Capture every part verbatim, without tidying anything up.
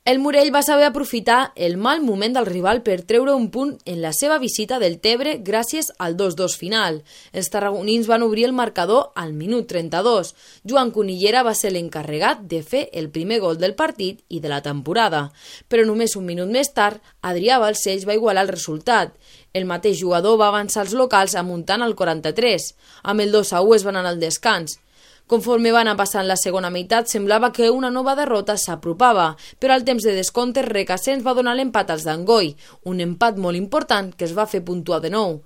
El Morell va saber aprofitar el mal moment del rival per treure un punt en la seva visita del Tebre gràcies al dos dos final. Els tarragonins van obrir el marcador al minut trenta-dos. Joan Cunillera va ser l'encarregat de fer el primer gol del partit i de la temporada. Però només un minut més tard, Adrià Balcells va igualar el resultat. El mateix jugador va avançar els locals amuntant al quaranta-tres. Amb el dos a u es van anar al descans. Conforme va anar passant la segona meitat, semblava que una nova derrota s'apropava, però al temps de descompte Requesens va donar l'empat als d'Angoi, un empat molt important que es va fer puntuar de nou.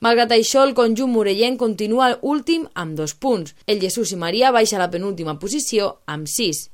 Malgrat això, el conjunt morellenc continua últim amb dos punts. El Jesús i Maria baixa a la penúltima posició amb sis.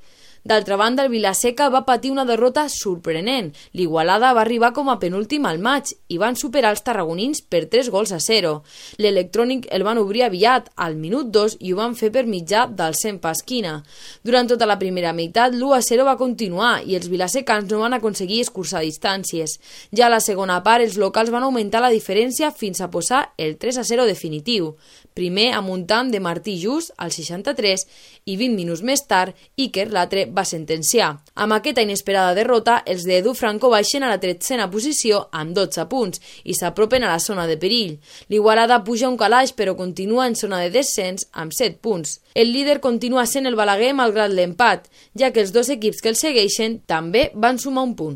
D'altra banda, el Vilaseca va patir una derrota sorprenent. L'Igualada va arribar com a penúltim al maig i van superar els tarragonins per tres gols a zero. L'Electrònic el van obrir aviat, al minut dos, i ho van fer per mitjà del Cent Pasquina. Durant tota la primera meitat, l'u a zero va continuar i els vilasecans no van aconseguir escurçar distàncies. Ja a la segona part, els locals van augmentar la diferència fins a posar el tres a zero definitiu. Primer amuntant de Martí Just al seixanta-tres i vint minuts més tard, Iker l'altre va sentenciar. Amb aquesta inesperada derrota, els d'Edu Franco baixen a la tretzena posició amb dotze punts i s'apropen a la zona de perill. L'Igualada puja un calaix però continua en zona de descens amb set punts. El líder continua sent el Balaguer malgrat l'empat, ja que els dos equips que el segueixen també van sumar un punt.